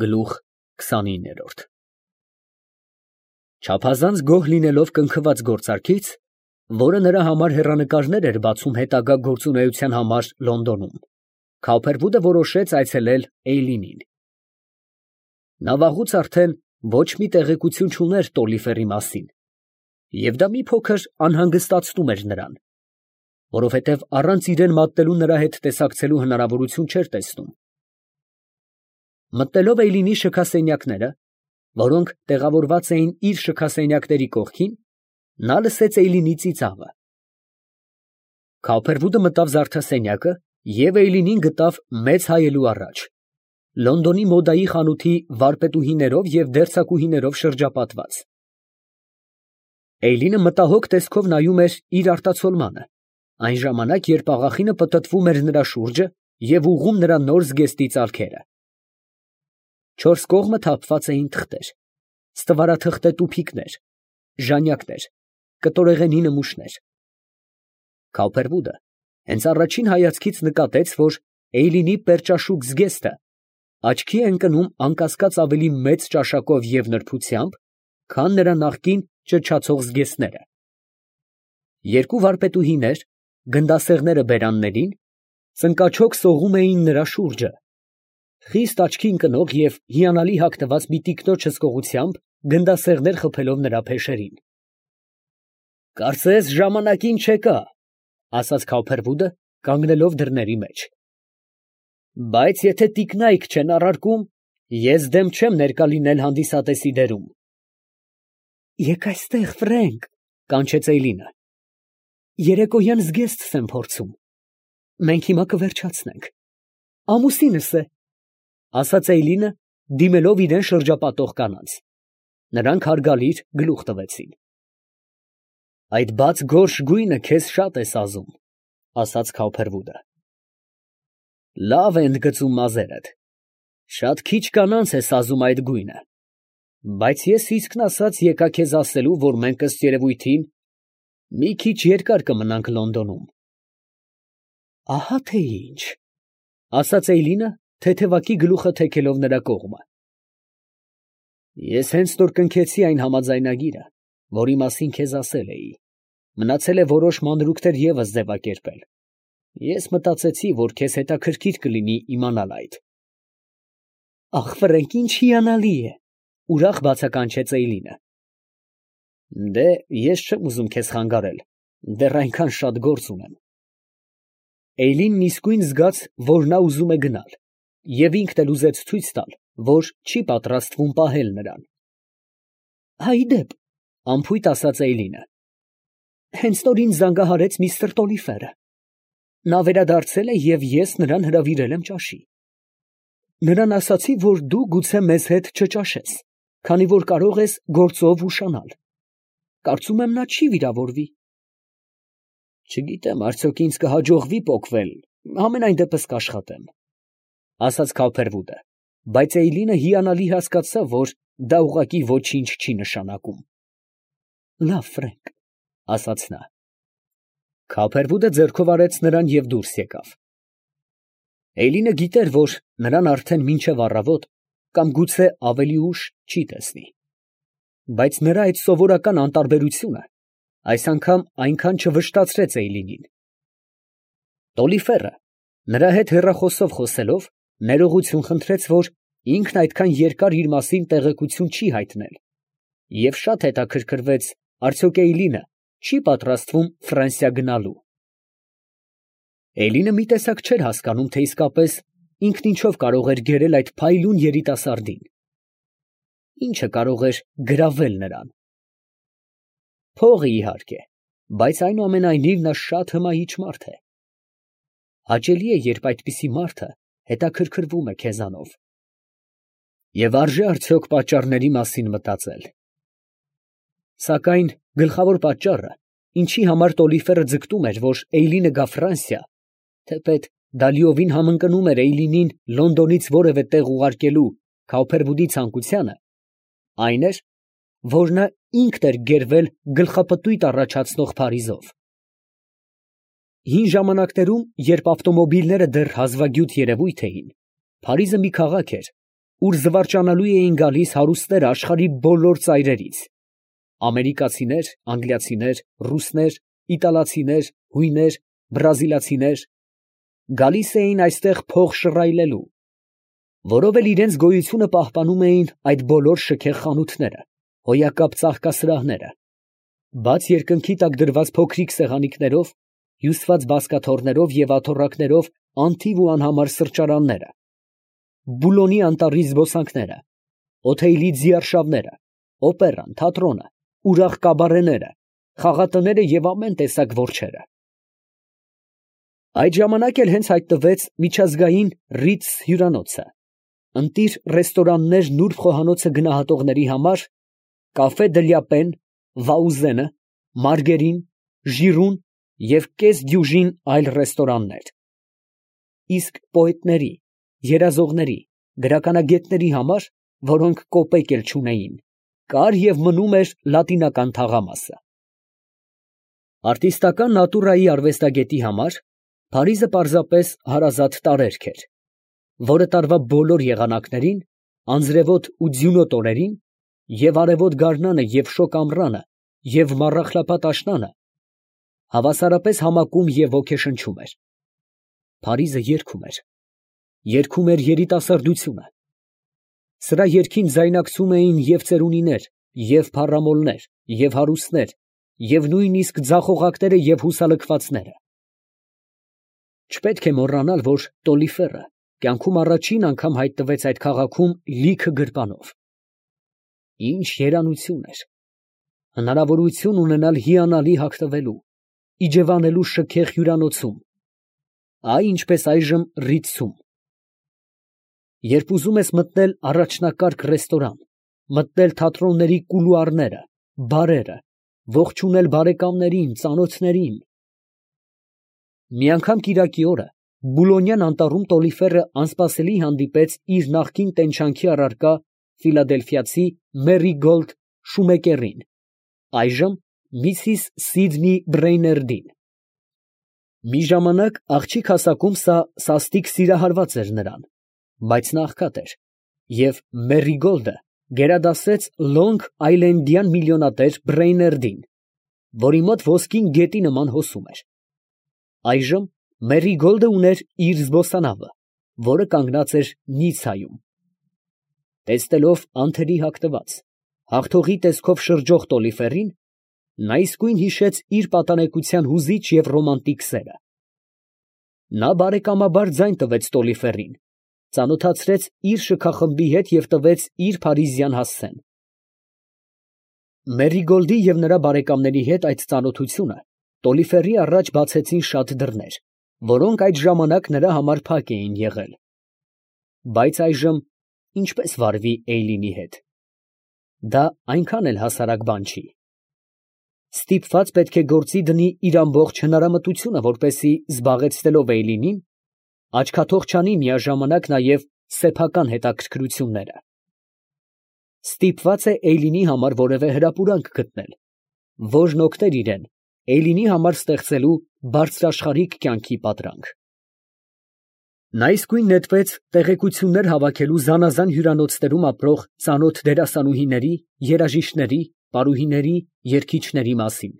Գլուխ 29 Չափազանց գոհ լինելով կնքված գործարքից, որը նրա համար հեռանկարներ էր բացում հետագա գործունեության համար Լոնդոնում, Քավփերվուդը որոշեց այցելել Էյլինին։ Նա վաղուց արդեն ոչ մի տեղեկություն չուներ Տոլիֆերի մասին, և դա մի փոքր անհանգստացնում էր նրան, որովհետև առանց իրան մատնելու նրա հետ տեսակցելու հնարավորություն չէր տեսնում։ Մտնելով Էյլինի շքասենյակները, որոնք տեղավորված էին իր շքասենյակների կողքին, նա լսեց Էյլինի ծիծաղը։ Քավփերվուդը մտավ զարդասենյակը և Էյլինին գտավ մեծ հայելու առաջ, Լոնդոնի մոդայի խանութի վարպետուհիներով և դերձակուհիներով շրջապատված։ Էյլինը մտահոգ տեսքով նայում էր իր արտացոլմանը, այն ժամանակ, երբ աղախինը պտտվում էր նրա շուրջը և ուղղում նրա նոր զգեստի ծալքերը։ Չորս կողմը թափված էին թղթեր, ստվարաթղթե տուփիկներ, ժանյակներ, կտորեղենի նմուշներ։ Քավփերվուդը հենց առաջին հայացքից նկատեց, որ Էյլինի պերճաշուք զգեստը աչքի է ընկնում անկասկած ավելի մեծ ճաշակով և նրբությամբ, քան նրա նախկին ճչացող զգեստները։ Երկու վարպետուհիներ, գնդասեղները բերաններին, ծնկաչոք սողում էին նրա շուրջը, խիստ աչքի ընկնող և հիանալի հագնված մի տիկնոջ հսկողությամբ գնդասեղներ խփելով նրա փեշերին։ «Կարծես ժամանակին չեկա», ֊ ասաց Քավփերվուդը, կանգնելով դռների մեջ։ «Բայց եթե տիկնայք չեն առարկում, ես դեմ չեմ ներկա լինել հանդիսատեսի դերում»։ «Եկ այստեղ, Ֆրենկ, ֊ կանչեց Էյլինը, ֊ երեկոյան զգեստ եմ փորձում, մենք հիմա կվերջացնենք, ամուսինս է, ֊ ասաց Էյլինը, դիմելով իրան շրջապատող կանանց. նրանք հարգալից գլուխ տվեցին։ «Այդ բաց գորշ գույնը քեզ շատ է սազում», ֊ ասաց Քավփերվուդը։ «Լավ է ընդգծում մազերդ, շատ քիչ կանանց է սազում այդ գույնը, բայց ես իսկն ասած եկա քեզ ասելու, որ մենք ըստ երևույթին մի քիչ երկար կմնանք Լոնդոնում»։ «Ահա թե ինչ», ֊ ասաց Էյլինը, թեթևակի գլուխը թեքելով նրա կողմը։ «Ես հենց նոր կնքեցի այն համաձայնագիրը, որի մասին քեզ ասել էի, մնացել է որոշ մանրուքներ ևս ձևակերպել, ես մտածեցի, որ քեզ հետաքրքիր կլինի իմանալ այդ»։ «Ախ, Ֆրենկ, ինչ հիանալի է, ֊ ուրախ բացականչեց Էյլինը։ ֊ Դե, ես չեմ ուզում քեզ խանգարել, դեռ այնքան շատ գործ ունեմ։ Էյլինն իսկույն զգաց, որ նա ուզում է գնալ, և ինքն էլ ուզեց ցույց տալ, որ չի պատրաստվում պահել նրան։ ֊ Ի դեպ, ֊ անփույթ ասաց Էյլինը, ֊ հենց նոր ինձ զանգահարեց միստր Տոլիֆերը. նա վերադարձել է և ես նրան հրավիրել եմ ճաշի։ Նրան ասացի, որ դու գուցե մեզ հետ չճաշես, քանի որ կարող ես գործով ուշանալ։ Կարծում եմ, նա չի վիրավորվի։ Չգիտեմ, արդյոք ինձ կհաջողվի պոկվել, համենայն դեպս կաշխատեմ, ֊ ասաց Քավփերվուդը, բայց Էյլինը հիանալի հասկացավ, որ դա ուղղակի ոչինչ չի նշանակում։ «Լավ, Ֆրենկ, ֊ ասաց նա»։ Քավփերվուդը ձեռքով արեց նրան և դուրս եկավ։ Էյլինը գիտեր, որ նրան արդեն մինչև առավոտ, կամ գուցե ավելի ուշ, չի տեսնի, բայց նրա այդ սովորական անտարբերությունը այս անգամ այնքան չվշտացրեց Էյլինին։ Տոլիֆերը, նրա հետ հեռախոսով խոսելով, ներողություն խնդրեց, որ ինքն այդքան երկար իր մասին տեղեկություն չի հայտնել, և շատ հետաքրքրվեց, արդյոք Էյլինը չի պատրաստվում Ֆրանսիա գնալու։ Էյլինը մի տեսակ չէր հասկանում, թե իսկապես ինքն ինչով կարող էր գերել այդ փայլուն երիտասարդին, ինչը կարող էր գրավել նրան։ Փողը, իհարկե, բայց այնուամենայնիվ նա շատ հմայիչ մարդ է։ Հաճելի է, երբ այդպիսի մարդը հետաքրքրվում է քեզանով։ Եվ արժե արդյոք պատճառների մասին մտածել։ Սակայն գլխավոր պատճառը, ինչի համար Տոլիֆերը ձգտում էր, որ Էյլինը գա Ֆրանսիա, թեպետ դա լիովին համընկնում էր Էյլինին Լոնդոնից որևէ տեղ ուղարկելու Քավփերվուդի ցանկությանը, այն էր, որ նա ինքն էր գերվել գլխապտույտ առաջացնող Փարիզով։ Հին ժամանակներում, երբ ավտոմոբիլները դեռ հազվագյուտ երևույթ էին, Փարիզը մի քաղաք էր, ուր զվարճանալու էին գալիս հարուստները աշխարհի բոլոր ծայրերից. ամերիկացիներ, անգլիացիներ, ռուսներ, իտալացիներ, հույներ, բրազիլացիներ, գալիս էին այստեղ փող շռայլելու, որով էլ իրենց գոյությունը պահպանում էին այդ բոլոր շքեղ խանութները, հոյակապ ծաղկասրահները, բաց երկնքի տակ դրված փոքրիկ սեղանիկներով, հյուսված բազկաթոռներով և աթոռակներով անթիվ ու անհամար սրճարանները, Բուլոնի անտառի զբոսանքները, Օթեյլի ձիարշավները, օպերան, թատրոնը, ուրախ կաբարեները, խաղատները և ամեն տեսակ որջերը։ Այդ ժամանակ էլ հենց հայտնվեց միջազգային Ռիթս հյուրանոցը, ընտիր ռեստորաններ նուրբ խոհանոցը գնահատողների համար, կաֆե Դլյապեն, Վաուզենը, Մարգերին, Ժիրուն և կես դյուժին այլ ռեստորաններ։ Իսկ պոետների, երազողների, գրականագետների համար, որոնք կոպեկ էլ չունեին, կար և մնում էր լատինական թաղամասը։ Արտիստական նատուրայի արվեստագետի համար Փարիզը պարզապես հարազատ տարերք էր, որը տարվա բոլոր եղանակներին, անձրևոտ ու ձյունոտ օրերին, և արևոտ գարնանը և շոգ ամռանը, և մառախլապատ աշնանը հավասարապես համակում և ոգեշնչում էր։ Փարիզը երգում էր երիտասարդությունը։ Սրա երգին ձայնակցում էին և ծերունիներ, և փառամոլներ, և հարուստներ, և նույնիսկ ձախողակները և հուսալքվածները։ Չպետք է մոռանալ, որ Տոլիֆերը կյանքում առաջին անգամ հայտնվեց այդ քաղաքում լիքը գրպանով։ Ինչ երանություն էր հնարավորություն ունենալ հիանալի հագնվելու, իջևանելու շքեղ հյուրանոցում, այ ինչպես այժմ Ռիթսում։ Երբ ուզում ես մտնել առաջնակարգ ռեստորան, մտնել թատրոնների կուլուարները, բարերը, ողջունել բարեկամներին, ծանոթներին… Մի անգամ կիրակի օրը Բուլոնյան անտառում Տոլիֆերը անսպասելի հանդիպեց իր նախկին տենչանքի առարկա ֆիլադելֆիացի Մերիգոլդ Շումեկերին, այժմ Միսիս Սիդնի Բրեյներդին։ Մի ժամանակ աղջիկ հասակում սա սաստիկ սիրահարված էր նրան, բայց նա աղքատ էր, և Մերիգոլդը գերադասեց Լոնգ Այլենդյան միլիոնատեր Բրեյներդին, որի մոտ ոսկին գետի նման հոսում էր։ Այժմ Մերիգոլդը ուներ իր զբոսանավը, որը կանգնած էր Նիցայում։ Տեսնելով անթերի հագնված, հաղթողի տեսքով շրջող Տոլիֆերին, նա իսկույն հիշեց իր պատանեկության հուզիչ և ռոմանտիկ սերը։ Նա բարեկամաբար ձայն տվեց Տոլիֆերին, ծանոթացրեց իր շքախմբի հետ և տվեց իր փարիզյան հասցեն։ Մերիգոլդի և նրա բարեկամների հետ այդ ծանոթությունը Տոլիֆերի առաջ բացեցին շատ դռներ, որոնք այդ ժամանակ նրա համար փակ էին եղել։ Բայց այժմ ինչպե՞ս վարվի Էյլինի հետ։ Դա այնքան էլ հասարակ բան չի։ Ստիպված պետք է գործի դնի իր ամբողջ հնարամտությունը, որպեսզի զբաղեցնելով Էյլինին, աչքաթող չանի միաժամանակ նաև սեփական հետաքրքրությունները։ Ստիպված է Էյլինի համար որևէ հրապուրանք գտնել, որն օգներ իրան Էյլինի համար ստեղծելու բարձրաշխարհիկ կյանքի պատրանք։ Նա իսկույն նետվեց տեղեկություններ հավաքելու զանազան հյուրանոցներում ապրող ծանոթ դերասանուհիների, երաժիշտների, պարուհիների, երգիչների մասին։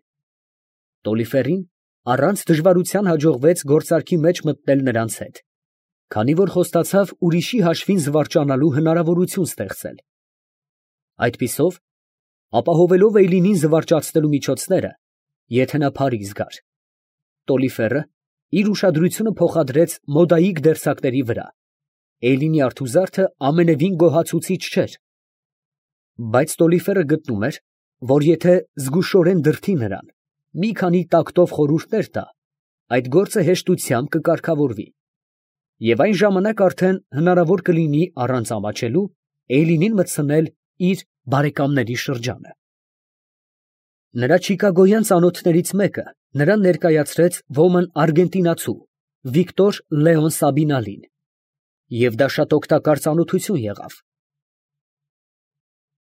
Տոլիֆերին առանց դժվարության հաջողվեց գործարքի մեջ մտնել նրանց հետ, քանի որ խոստացավ ուրիշի հաշվին զվարճանալու հնարավորություն ստեղծել։ Այդպիսով, ապահովելով Էյլինին զվարճացնելու միջոցները, եթե նա Փարիզ գար, Տոլիֆերը իր ուշադրությունը փոխադրեց մոդայիկ դերձակների վրա։ Էյլինի արթուզարդը ամենևին գոհացուցիչ չէր։ Բայց Տոլիֆերը գտնում էր, որ եթե զգուշորեն դրդի նրան, մի քանի տակտով խորհուրդներ տա, այդ գործը հեշտությամբ կկարգավորվի, և այն ժամանակ արդեն հնարավոր կլինի առանց ամաչելու Էյլինին մտցնել իր բարեկամների շրջանը։ Նրա չիկագոյան ծանոթներից մեկը նրան ներկայացրեց ոմն արգենտինացու Վիկտոր Լեոն Սաբինալին, և դա շատ օգտակար ծանոթություն եղավ,